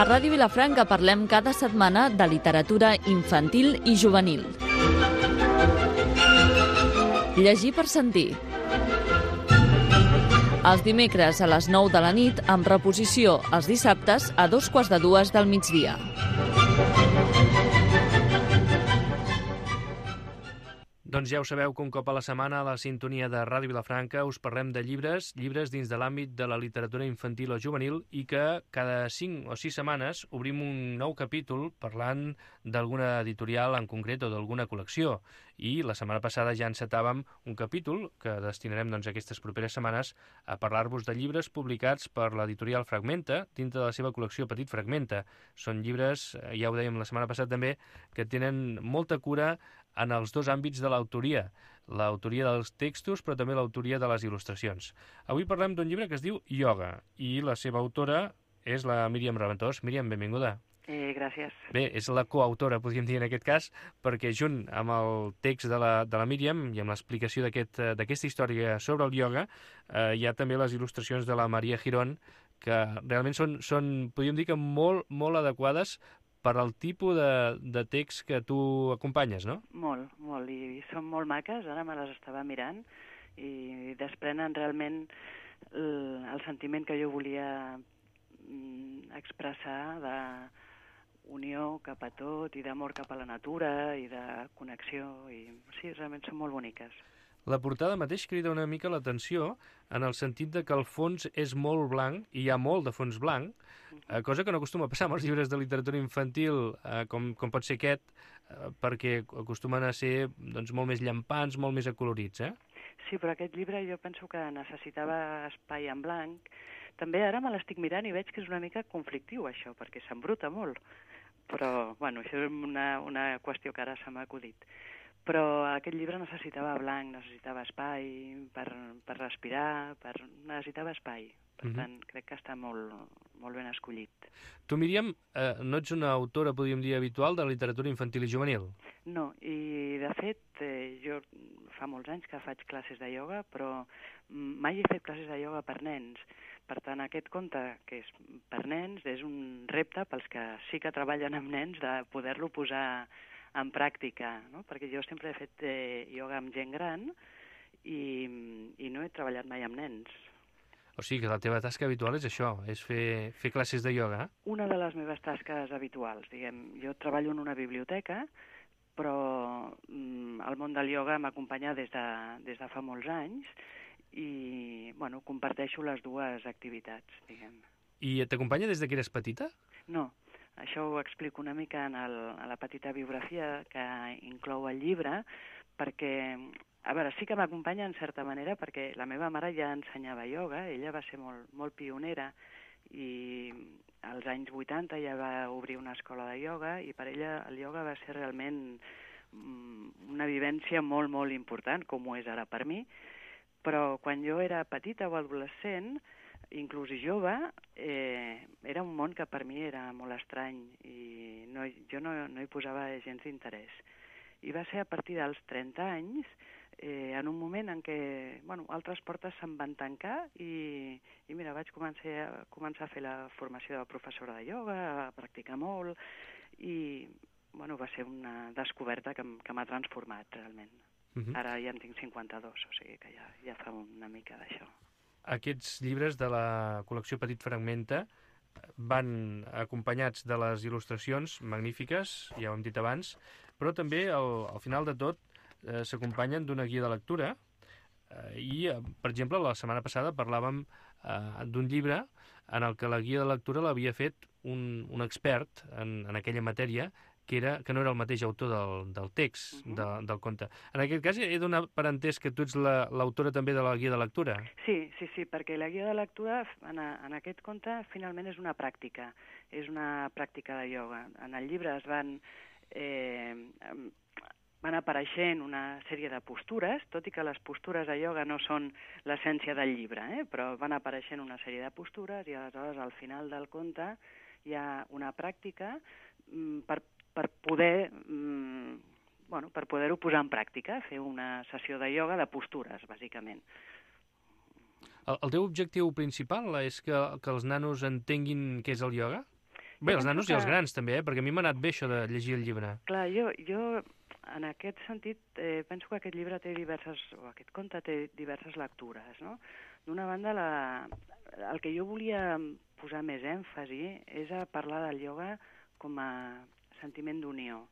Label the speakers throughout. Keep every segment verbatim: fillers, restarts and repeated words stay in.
Speaker 1: A Ràdio Vilafranca parlem cada setmana de literatura infantil i juvenil. Llegir per sentir. Els dimecres a les nou de la nit, amb reposició els dissabtes a dos quarts de dues del migdia.
Speaker 2: Doncs ja ho sabeu que un cop a la setmana a la sintonia de Ràdio Vilafranca us parlem de llibres, llibres dins de l'àmbit de la literatura infantil o juvenil i que cada cinc o sis setmanes obrim un nou capítol parlant d'alguna editorial en concret o d'alguna col·lecció. I la setmana passada ja encetàvem un capítol que destinarem doncs, aquestes properes setmanes a parlar-vos de llibres publicats per l'editorial Fragmenta dintre de la seva col·lecció Petit Fragmenta. Són llibres, ja ho dèiem la setmana passada també, que tenen molta cura en els dos àmbits de l'autoria, l'autoria dels textos però també l'autoria de les il·lustracions. Avui parlem d'un llibre que es diu Ioga i la seva autora és la Míriam Raventós. Míriam, benvinguda.
Speaker 3: Eh, gràcies.
Speaker 2: Bé, és la coautora, podríem dir en aquest cas, perquè junt amb el text de la, de la Míriam i amb l'explicació d'aquesta aquest, història sobre el ioga, eh, hi ha també les il·lustracions de la Maria Girón, que realment són, són podríem dir que molt, molt adequades per al tipus de, de text que tu acompanyes, no?
Speaker 3: Molt, molt, i són molt maques, ara me les estava mirant, i desprenen realment el, el sentiment que jo volia mm, expressar de unió cap a tot, i d'amor cap a la natura, i de connexió, i sí, realment són molt boniques.
Speaker 2: La portada mateix crida una mica l'atenció en el sentit de que el fons és molt blanc, i hi ha molt de fons blanc, eh, cosa que no acostuma a passar amb els llibres de literatura infantil, eh, com, com pot ser aquest, eh, perquè acostumen a ser doncs, molt més llampants, molt més acolorits, eh?
Speaker 3: Sí, però aquest llibre jo penso que necessitava espai en blanc. També ara me l'estic mirant i veig que és una mica conflictiu, això, perquè s'embruta molt. Però, bueno, això és una, una qüestió que ara se m'ha acudit. Però aquest llibre necessitava blanc, necessitava espai per, per respirar, per... necessitava espai. Per uh-huh. tant, crec que està molt, molt ben escollit.
Speaker 2: Tu, Míriam, eh, no ets una autora, podríem dir, habitual de literatura infantil i juvenil?
Speaker 3: No, i de fet, eh, jo fa molts anys que faig classes de ioga, però mai he fet classes de ioga per nens. Per tant, aquest conte, que és per nens, és un repte pels que sí que treballen amb nens de poder-lo posar en pràctica, no? Perquè jo sempre he fet eh, ioga amb gent gran i, i no he treballat mai amb nens.
Speaker 2: O sigui que la teva tasca habitual és això, és fer, fer classes de ioga?
Speaker 3: Una de les meves tasques habituals, diguem. Jo treballo en una biblioteca, però mm, el món del ioga m'acompanya des de, des de fa molts anys i, bueno, comparteixo les dues activitats, diguem.
Speaker 2: I t'acompanya des de que eres petita?
Speaker 3: No. Això ho explico una mica en, el, en la petita biografia que inclou el llibre, perquè, a veure, sí que m'acompanya en certa manera, perquè la meva mare ja ensenyava ioga, ella va ser molt, molt pionera, i als anys vuitanta ja va obrir una escola de ioga, i per ella el ioga va ser realment una vivència molt, molt important, com ho és ara per mi, però quan jo era petita o adolescent, inclús i jove, eh, era un món que per mi era molt estrany i no, jo no, no hi posava gens d'interès. I va ser a partir dels trenta anys, eh, en un moment en què bueno, altres portes se'n van tancar i, i mira, vaig començar a, començar a fer la formació de professora de ioga, a practicar molt i bueno, va ser una descoberta que, que m'ha transformat realment. Uh-huh. Ara ja en tinc cinquanta-dos, o sigui que ja, ja fa una mica d'això.
Speaker 2: Aquests llibres de la col·lecció Petit Fragmenta van acompanyats de les il·lustracions magnífiques, ja ho hem dit abans, però també al, al final de tot eh, s'acompanyen d'una guia de lectura eh, i, eh, per exemple, la setmana passada parlàvem eh, d'un llibre en el que la guia de lectura l'havia fet un, un expert en, en aquella matèria que, era, que no era el mateix autor del, del text, uh-huh. de, del conte. En aquest cas, he donat per entès que tu ets la, l'autora també de la guia de lectura.
Speaker 3: Sí, sí, sí, perquè la guia de lectura en, a, en aquest conte finalment és una pràctica, és una pràctica de ioga. En el llibre es van, eh, van apareixent una sèrie de postures, tot i que les postures de ioga no són l'essència del llibre, eh, però van apareixent una sèrie de postures i aleshores al final del conte hi ha una pràctica mm, per per poder, mm, bueno, per poder-ho posar en pràctica, fer una sessió de ioga de postures, bàsicament.
Speaker 2: El, el teu objectiu principal és que, que els nanos entenguin què és el ioga? Bé, els nanos que... i els grans també, eh? Perquè a mi m'ha anat bé això de llegir el llibre.
Speaker 3: Clar, jo, jo en aquest sentit eh, penso que aquest llibre té diverses, o aquest conte té diverses lectures, no? D'una banda, la, el que jo volia posar més èmfasi és a parlar del ioga com a sentiment d'unió,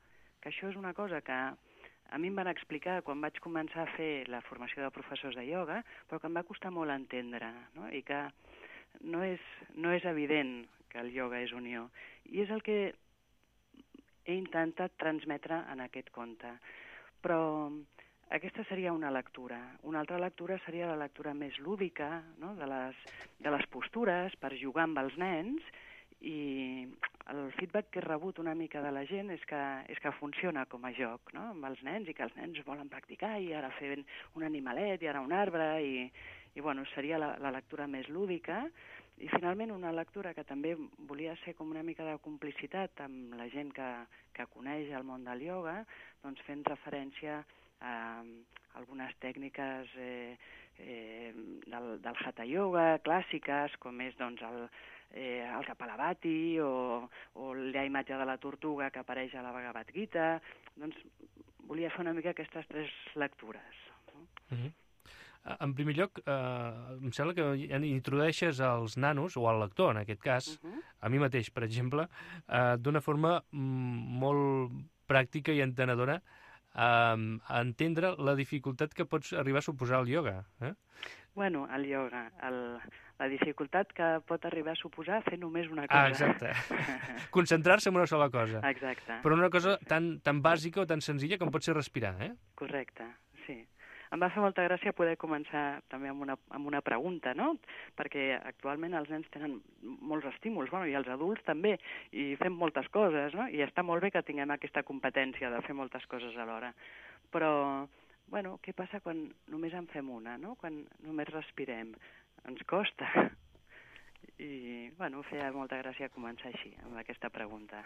Speaker 3: que això és una cosa que a mi em van explicar quan vaig començar a fer la formació de professors de ioga, però que em va costar molt entendre, no? I que no és, no és evident que el ioga és unió. I és el que he intentat transmetre en aquest conte. Però aquesta seria una lectura. Una altra lectura seria la lectura més lúdica, no? de, les, de les postures per jugar amb els nens, i el feedback que he rebut una mica de la gent és que, és que funciona com a joc, no? Amb els nens, i que els nens volen practicar, i ara fer un animalet, i ara un arbre, i, i bueno, seria la, la lectura més lúdica. I finalment una lectura que també volia ser com una mica de complicitat amb la gent que, que coneix el món del ioga, doncs fent referència a algunes tècniques eh, eh, del, del Hatha Yoga clàssiques, com és doncs, el, eh, el Kapalabhati o, o la imatge de la tortuga que apareix a la Bhagavad Gita. Doncs volia fer una mica aquestes tres lectures. No?
Speaker 2: Mm-hmm. En primer lloc, eh, em sembla que introdueixes als nanos, o al lector en aquest cas, uh-huh. a mi mateix, per exemple, eh, d'una forma mm, molt pràctica i entenedora, eh, a entendre la dificultat que pots arribar a suposar el ioga. Eh?
Speaker 3: Bueno, el ioga, el, la dificultat que pot arribar a suposar fer només una cosa.
Speaker 2: Ah, exacte. Concentrar-se en una sola cosa.
Speaker 3: Exacte.
Speaker 2: Però una cosa tan, tan bàsica o tan senzilla com pot ser respirar, eh?
Speaker 3: Correcte, sí. Em va fer molta gràcia poder començar també amb una, amb una pregunta, no? Perquè actualment els nens tenen molts estímuls, bueno, i els adults també, i fem moltes coses, no? I està molt bé que tinguem aquesta competència de fer moltes coses alhora. Però, bueno, què passa quan només en fem una, no? Quan només respirem? Ens costa. I, bueno, feia molta gràcia començar així, amb aquesta pregunta.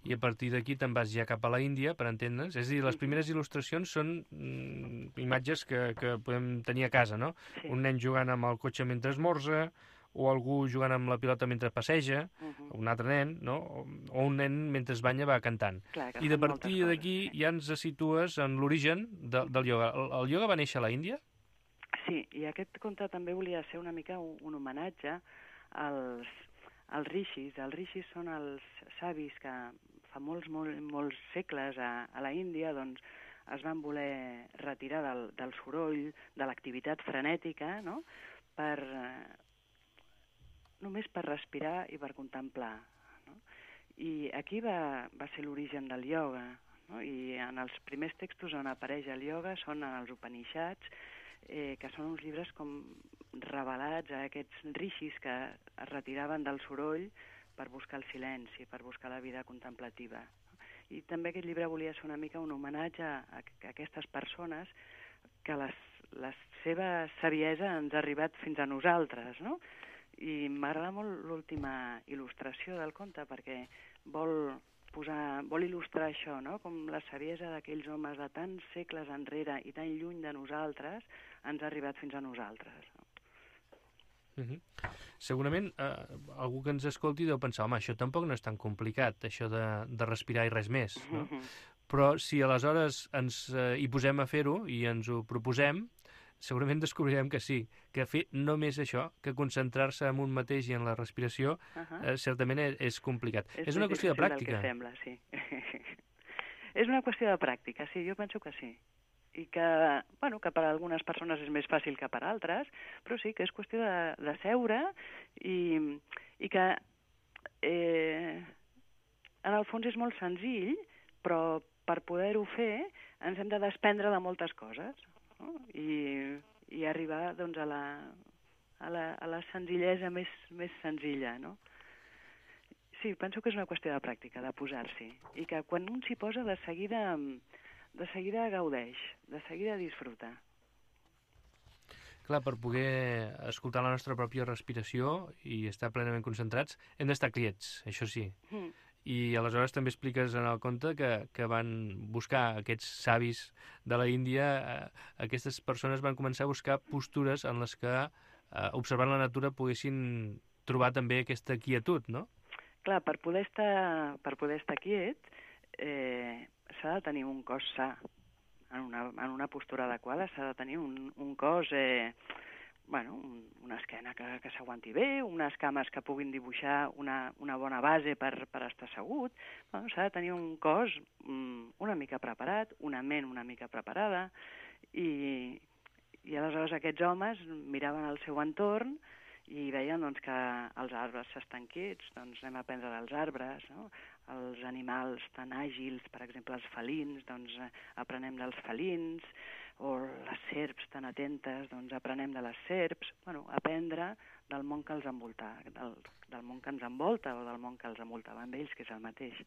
Speaker 2: I a partir d'aquí te'n vas ja cap a la Índia, per entendre'ns. És a dir, les primeres il·lustracions són mm, imatges que, que podem tenir a casa, no? Sí. Un nen jugant amb el cotxe mentre esmorza, o algú jugant amb la pilota mentre passeja, uh-huh. un altre nen, no? O, o un nen mentre es banya va cantant.
Speaker 3: Clar,
Speaker 2: I de partir d'aquí sí. ja ens situes en l'origen de, del ioga. El, el ioga va néixer a la Índia?
Speaker 3: Sí, i aquest conte també volia ser una mica un, un homenatge als, als rishis. Els rishis són els savis que fa molts, molts, molts segles a, a la Índia doncs, es van voler retirar del, del soroll, de l'activitat frenètica, no? per, eh, només per respirar i per contemplar. No? I aquí va, va ser l'origen del ioga, no? I en els primers textos on apareix el ioga són en els Upanishads, eh, que són uns llibres com revelats a aquests rishis que es retiraven del soroll per buscar el silenci, per buscar la vida contemplativa. I també aquest llibre volia ser una mica un homenatge a, a aquestes persones que les, la seva saviesa ens ha arribat fins a nosaltres, no? I m'agrada molt l'última il·lustració del conte perquè vol posar, vol il·lustrar això, no? Com la saviesa d'aquells homes de tants segles enrere i tan lluny de nosaltres ens ha arribat fins a nosaltres. No?
Speaker 2: Uh-huh. Segurament eh, algú que ens escolti deu pensar, home, això tampoc no és tan complicat, això de, de respirar i res més, no? Uh-huh. Però si aleshores ens eh, hi posem a fer-ho i ens ho proposem, segurament descobrirem que sí, que fer només això, que concentrar-se en un mateix i en la respiració, uh-huh. eh, certament és, és complicat. És, és una qüestió de pràctica.
Speaker 3: És sembla, sí. És una qüestió de pràctica, sí, jo penso que sí. I que, bueno, que per a algunes persones és més fàcil que per a altres, però sí que és qüestió de, de seure i, i que eh, en el fons és molt senzill, però per poder-ho fer ens hem de desprendre de moltes coses, no? I, i arribar doncs, a, la, a, la, a la senzillesa més, més senzilla, no? Sí, penso que és una qüestió de pràctica, de posar-s'hi, i que quan un s'hi posa de seguida... de seguida gaudeix, de seguida disfruta.
Speaker 2: Clar, per poder escoltar la nostra pròpia respiració i estar plenament concentrats, hem d'estar quiets, això sí. Mm. I aleshores també expliques en el conte que, que van buscar aquests savis de la Índia, eh, aquestes persones van començar a buscar postures en les que, eh, observant la natura, poguessin trobar també aquesta quietud, no?
Speaker 3: clar, per poder estar, per poder estar quiet eh, s'ha de tenir un cos sa, en una, en una postura adequada, s'ha de tenir un, un cos, eh, bueno, un, una esquena que, que s'aguanti bé, unes cames que puguin dibuixar una, una bona base per, per estar assegut. Bueno, s'ha de tenir un cos mm, una mica preparat, una ment una mica preparada, i, i aleshores aquests homes miraven el seu entorn i veien doncs, que els arbres s'estan quiets, doncs anem a aprendre dels arbres, no? Els animals tan àgils, per exemple els felins, doncs aprenem dels felins, o les serps tan atentes, doncs aprenem de les serps. Bueno, aprendre del món que els envolta, del, del món que ens envolta o del món que els envoltava amb ells, que és el mateix.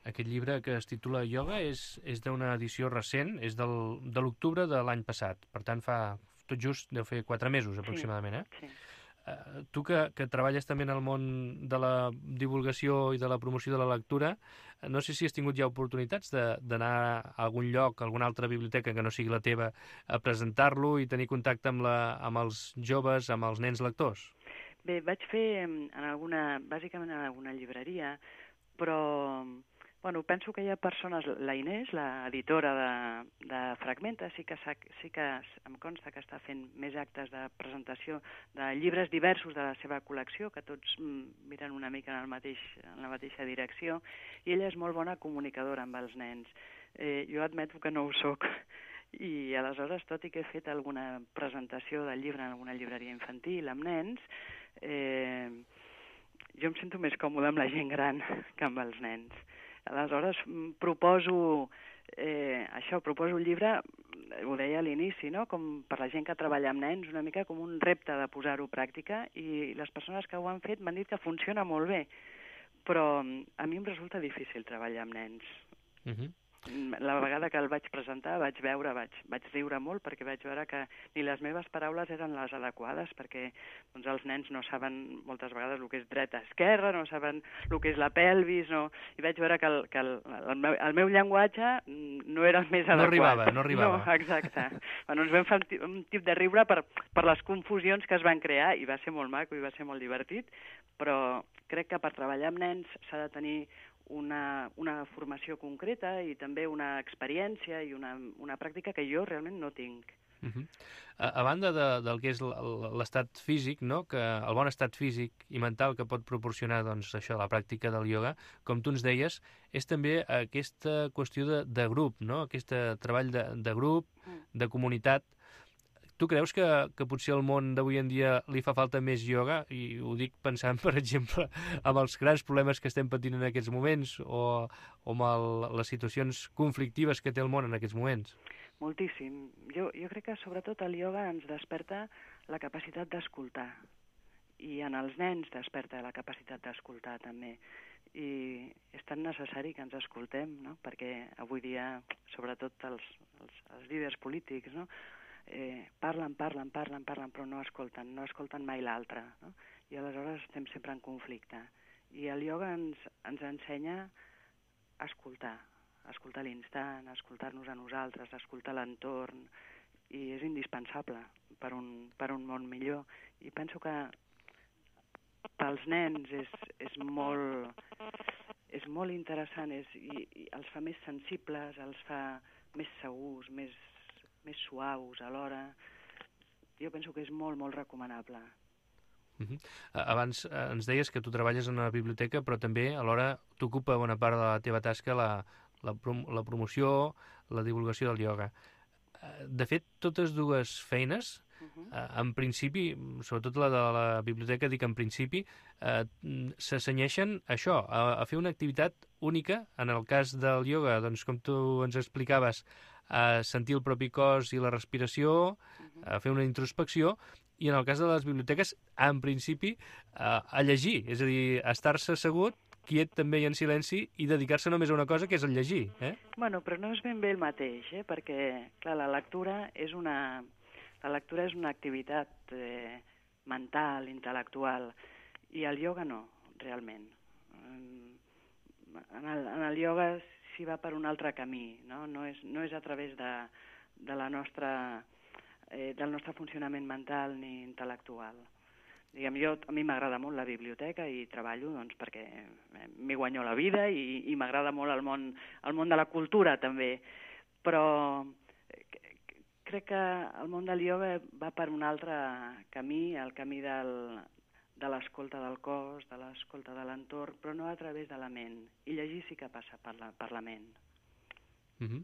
Speaker 2: Aquest llibre que es titula Ioga és, és d'una edició recent, és del, de l'octubre de l'any passat, per tant fa tot just deu fer quatre mesos aproximadament, eh?
Speaker 3: Sí.
Speaker 2: Uh, tu que, que treballes també en el món de la divulgació i de la promoció de la lectura, no sé si has tingut ja oportunitats d'anar a algun lloc, a alguna altra biblioteca que no sigui la teva, a presentar-lo i tenir contacte amb, la, amb els joves, amb els nens lectors?
Speaker 3: Bé, vaig fer en alguna, bàsicament en alguna llibreria, però bueno, penso que hi ha persones, la Inés, l'editora de, de Fragmenta, sí que, sí que em consta que està fent més actes de presentació de llibres diversos de la seva col·lecció, que tots miren una mica en, el mateix, en la mateixa direcció, i ella és molt bona comunicadora amb els nens. Eh, jo admeto que no ho soc, i aleshores, tot i que he fet alguna presentació del llibre en alguna llibreria infantil amb nens, eh, jo em sento més còmode amb la gent gran que amb els nens. Aleshores, proposo eh, això, proposo un llibre, ho deia a l'inici, no? Com per la gent que treballa amb nens, una mica com un repte de posar-ho a pràctica, i les persones que ho han fet m'han dit que funciona molt bé, però a mi em resulta difícil treballar amb nens.
Speaker 2: Uh-huh.
Speaker 3: La vegada que el vaig presentar vaig veure, vaig, vaig riure molt, perquè vaig veure que ni les meves paraules eren les adequades, perquè doncs, els nens no saben moltes vegades el que és dreta-esquerra, no saben el que és la pelvis, no... i vaig veure que el, que el, el, meu, el meu llenguatge no era el més adequat.
Speaker 2: No arribava, no arribava.
Speaker 3: No, exacte. Bueno, ens vam fer un, un tip de riure per, per les confusions que es van crear, i va ser molt maco i va ser molt divertit, però crec que per treballar amb nens s'ha de tenir Una, una formació concreta i també una experiència i una, una pràctica que jo realment no tinc.
Speaker 2: Uh-huh. a, a banda de, del que és l'estat físic, no? Que el bon estat físic i mental que pot proporcionar doncs, això, la pràctica del ioga, com tu ens deies, és també aquesta qüestió de, de grup, no? Aquest treball de, de grup, de comunitat. Tu creus que, que potser al món d'avui en dia li fa falta més ioga? I ho dic pensant, per exemple, amb els grans problemes que estem patint en aquests moments o, o amb el, les situacions conflictives que té el món en aquests moments.
Speaker 3: Moltíssim. Jo, jo crec que sobretot el ioga ens desperta la capacitat d'escoltar, i en els nens desperta la capacitat d'escoltar també. I és tan necessari que ens escoltem, no? Perquè avui dia, sobretot els, els, els líders polítics, no? Eh, parlen, parlen, parlen, parlen, però no escolten, no escolten mai l'altre, no? I aleshores estem sempre en conflicte. I el ioga ens, ens ensenya a escoltar, a escoltar l'instant, a escoltar-nos a nosaltres, a escoltar l'entorn, i és indispensable per un, per un món millor. I penso que pels nens és, és, molt, és molt interessant, és, i, i els fa més sensibles, els fa més segurs, més més suaus alhora. Jo penso que és molt, molt recomanable.
Speaker 2: Uh-huh. Abans eh, ens deies que tu treballes en una biblioteca, però també alhora t'ocupa bona part de la teva tasca la, la, prom la promoció, la divulgació del ioga. De fet, totes dues feines, uh-huh. eh, en principi, sobretot la de la biblioteca, dic en principi, eh, s'assenyeixen a això, a, a fer una activitat única. En el cas del ioga, doncs, com tu ens explicaves, a sentir el propi cos i la respiració, a fer una introspecció, i en el cas de les biblioteques, en principi, a, a llegir, és a dir, a estar-se assegut, quiet també i en silenci, i dedicar-se només a una cosa, que és el llegir. Eh?
Speaker 3: Bueno, però no és ben bé el mateix, eh? Perquè, clar, la lectura és una, la lectura és una activitat eh, mental, intel·lectual, i el ioga no, realment. En el, en el ioga s'hi va per un altre camí, no? No és, no és a través de, de la nostra, eh, del nostre funcionament mental ni intel·lectual. diguem, jo, a mi m'agrada molt la biblioteca i treballo doncs, perquè m'hi guanyo la vida i, i m'agrada molt el món, el món de la cultura també, però crec que el món del ioga va per un altre camí, el camí del, de l'escolta del cos, de l'escolta de l'entorn, però no a través de la ment. I llegir sí que passa per la, per la ment.
Speaker 2: Mm-hmm.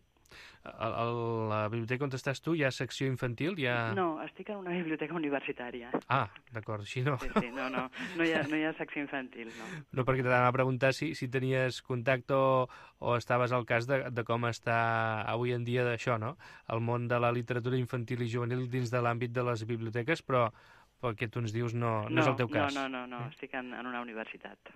Speaker 2: A, a la biblioteca on estàs tu hi ha secció infantil? Hi ha...
Speaker 3: No, estic en una biblioteca universitària.
Speaker 2: Ah, d'acord, així no.
Speaker 3: Sí, sí, no, no, no hi ha, no hi ha secció infantil, no.
Speaker 2: No, perquè t'anava a preguntar si, si tenies contacte o, o estaves al cas de, de com està avui en dia d'això, no? El món de la literatura infantil i juvenil dins de l'àmbit de les biblioteques, però pel que tu ens dius no, no, no és el teu cas.
Speaker 3: No, no, no, no. Estic en, en una universitat.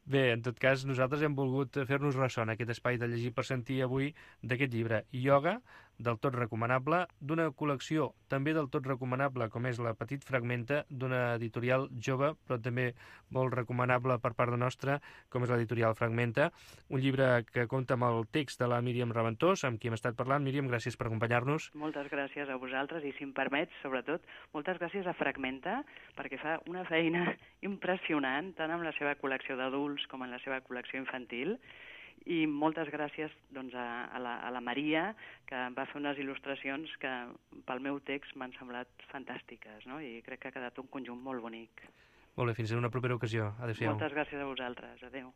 Speaker 2: Bé, en tot cas, nosaltres hem volgut fer-nos ressò en aquest espai de llegir per sentir avui d'aquest llibre, Ioga, del tot recomanable, d'una col·lecció també del tot recomanable, com és La Petit Fragmenta, d'una editorial jove, però també molt recomanable per part de nostra, com és l'editorial Fragmenta, un llibre que compta amb el text de la Míriam Raventós, amb qui hem estat parlant. Míriam, gràcies per acompanyar-nos.
Speaker 3: Moltes gràcies a vosaltres i, si em permets, sobretot, moltes gràcies a Fragmenta, perquè fa una feina impressionant, tant amb la seva col·lecció d'adults com en la seva col·lecció infantil, i moltes gràcies doncs, a, a, la, a la Maria, que va fer unes il·lustracions que pel meu text m'han semblat fantàstiques, no? I crec que ha quedat un conjunt molt bonic.
Speaker 2: Molt bé, fins a una propera ocasió. Adéu-siau.
Speaker 3: Moltes gràcies a vosaltres. Adéu.